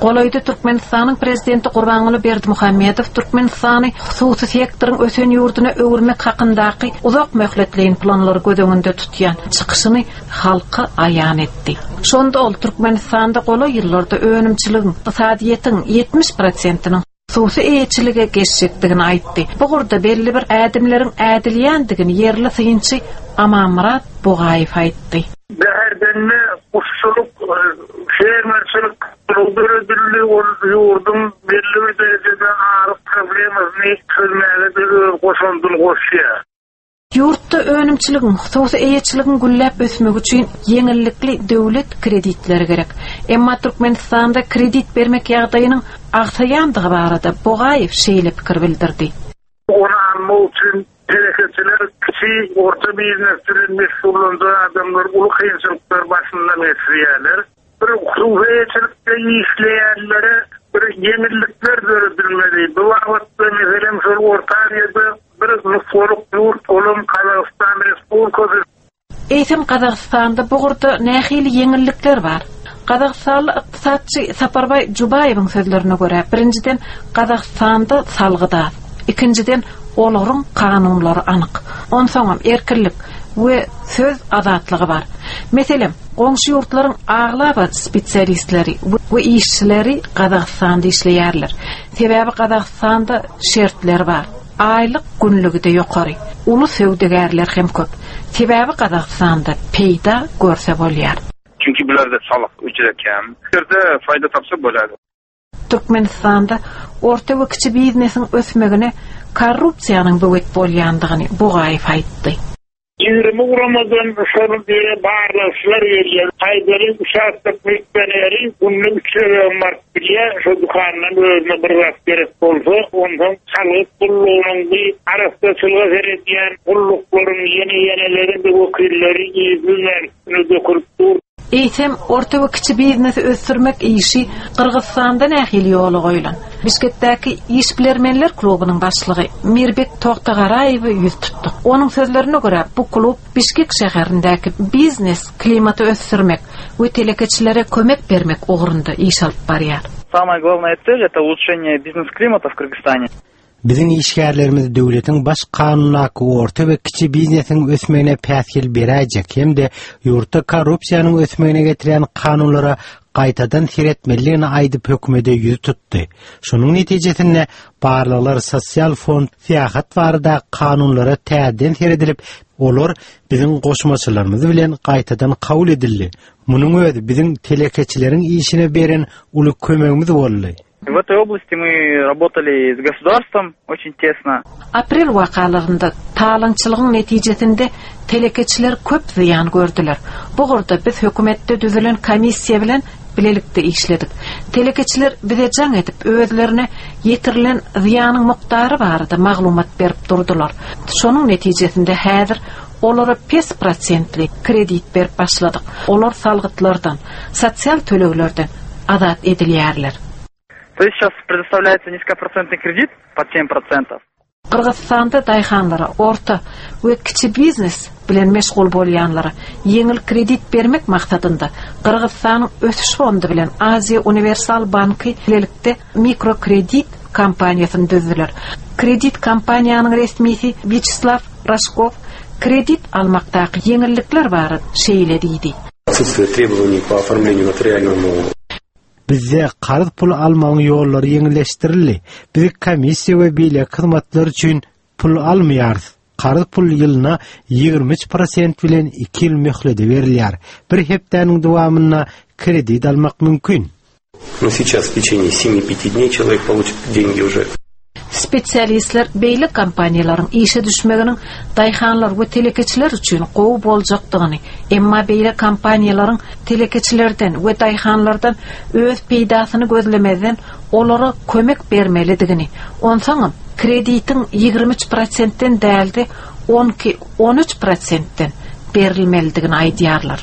Golaýda Türkmenistanyň Prezidenti Gurbanguly Berdimuhamedow Türkmenistany hususy sektoryň ösen ýurduna öwürmek hakyndaky uzak möhletleýin planlary göz öňünde tutýan çykyşyny halka aýan etdi. Şonda ol Türkmenistanda golaý ýyllarda önümçiligiň, ykdysadyýetiň 70 prosentiniň hususy eýeçilige geçjekdigini aýtdy. Bu ugurda belli bir ädimleriň ädilýändigini ýerli synçy Amanmyrat Bugaýew aýtdy. Bäherdende guşçulyk, fermerçilik kluby döredildi, ol ýurduň belli bir derejede azyk problemasyny çözmäge-de öz goşandyny goşýar. Ýurtda önümçiligiň, hususy eýeçiligiň gülläp ösmegi üçin ýeňillikli döwlet kreditleri gerek. Emma Türkmenistanda kredit bermek ýagdaýynyň agsaýandygy barada Bogaýew şeýle pikir bildirdi. Ony almak üçin telekeçiler, kiçi, orta biznes bilen meşgullanjak adamlar uly kynçylyklary başyndan geçirýärler. Bir hususy eýeçilikde işleýänlere bir ýeňillikler döredilmeli. Bu babatda, meselem, şol Orta Aziýada bir nusgalyk ýurt olam Gazagystan Respublikasy. Eýsem, Gazagystanda bu ugurda nähili ýeňillikler bar? Gazagystanly ykdysatçy Saparbaý Jubaýewiň sözlerine görä, birinjiden, Gazagystanda salgyt az. Ikinjiden, olaryň kanunlary anyk. Onsoňam, erkinlik we söz azatlygy bar. Meselem, Goňşy ýurtlaryň aglaba spesialistleri we işçileri Gazagystanda işleýärler. Sebäbi Gazagystanda şertler bar. Aýlyk günlügi-de ýokary. Uly söwdagärler hem köp. Sebäbi Gazagystanda peýda görse bolýar. Çünki bularda salyk juda kem. Bu ýerde faýda tapsa bolýar. Türkmenistanda orta we kiçi biznesiň ösmegine korrupsiýanyň böwet bolýandygyny Bugaýew aýtdy. 20 guramadan şol ýere barlagçylar gelýär. Aýdaly, uçastok milisioneri günde üç gezegem baryp bilýär. Şo dükandan özüne bir zat gerek bolsa, onsoň salgyt gullugynyň bi arassaçylyga seredýän gulluklaryň ýene-ýeneleriň-de wekilleri yzly-üzmän üstüne dökülip dur. Eýsem, orta we kiçi biznesi ösdürmek işi Gyrgyzystanda nähili ýola goýlan? Bişkekdäki Işbilermenler klubunyň başlygy Mirbek Togtagaraýewe ýüz tutduk. Onuň sözlerine görä, bu klub Bişkek şäherindäki biznes klimaty ösdürmek we telekeçilere kömek bermek ugrunda iş alyp barýar. Samaya glawnaya tsel, eto uluçşeniye biznes-klimata w Kyrgyzstane. Biziň işgärlerimiz döwletiň baş kanundaky orta we kiçi biznesiň ösmegine päsgel beräýjek hem-de ýurtda korrupsiýanyň ösmegine getirýän kanunlara gaýtadan seretmelidigini aýdyp hökümede ýüz tutdy. Şonuň netijesinde barlaglar sosial fond, syýahat barada kanunlara täzeden seredilip, olar biziň goşmaçalarymyz bilen gaýtadan kabul edildi. Munuň özi biziň telekeçileriň işine beren uly kömegimiz boldy. W этой области мы работали с государством очень тесно. Aprel wakalarynda talaňçylygyň netijesinde telekeçiler köp zyýan gördüler. Bu ugurda biz hökümetde düzülen komissiýa bilen bilelikde işledik. Telekeçiler bize jaň edip, özlerine ýetirilen zyýanyň mukdary barada maglumat berip durdular. Şonuň netijesinde häzir olara pes prosentli kredit berip başladyk. Olar salgytlardan, sosial töleglerden azat edilýärler. To есть сейчас предоставляется низкопроцентный кредит под семь процентов. Gyrgyzystanda daýhanlara, orta we kiçi biznes bilen meşgul bolýanlara ýeňil kredit bermek maksadynda Gyrgyzystanyň Ösüş fondy bilen Aziýa Uniwersal banky bilelikde mikrokredit kompaniýasyny düzdüler. Kredit kompaniýanyň resmisi Wýaçeslaw Raşkow kredit almakdaky ýeňillikler barada şeýle diýdi. Отсутствие требований по оформлению нотариальному Bizde karz pul almagyň ýollary ýeňilleşdirildi. Biz komissiýa we beýleki hyzmatlar üçin pul almaýarys. Karz pul ýylyna 23 prosent bilen iki ýyl möhlede berilýär. Bir hepdäniň dowamynda kredit almak mümkin. No сейчас w teçeniýe semi pýati dneý çelowek poluçit dengi uje. Spesialistler beýle kompaniýalaryň işe düşmeginiň daýhanlar we telekeçiler üçin gowy boljakdygyny, emma beýle kompaniýalaryň telekeçilerden we daýhanlardan öz peýdasyny gözlemezden olara kömek bermelidigini, onsoňam kreditiň 23 prosentden däl-de, 12, 13 prosentden berilmelidigini aýdýarlar.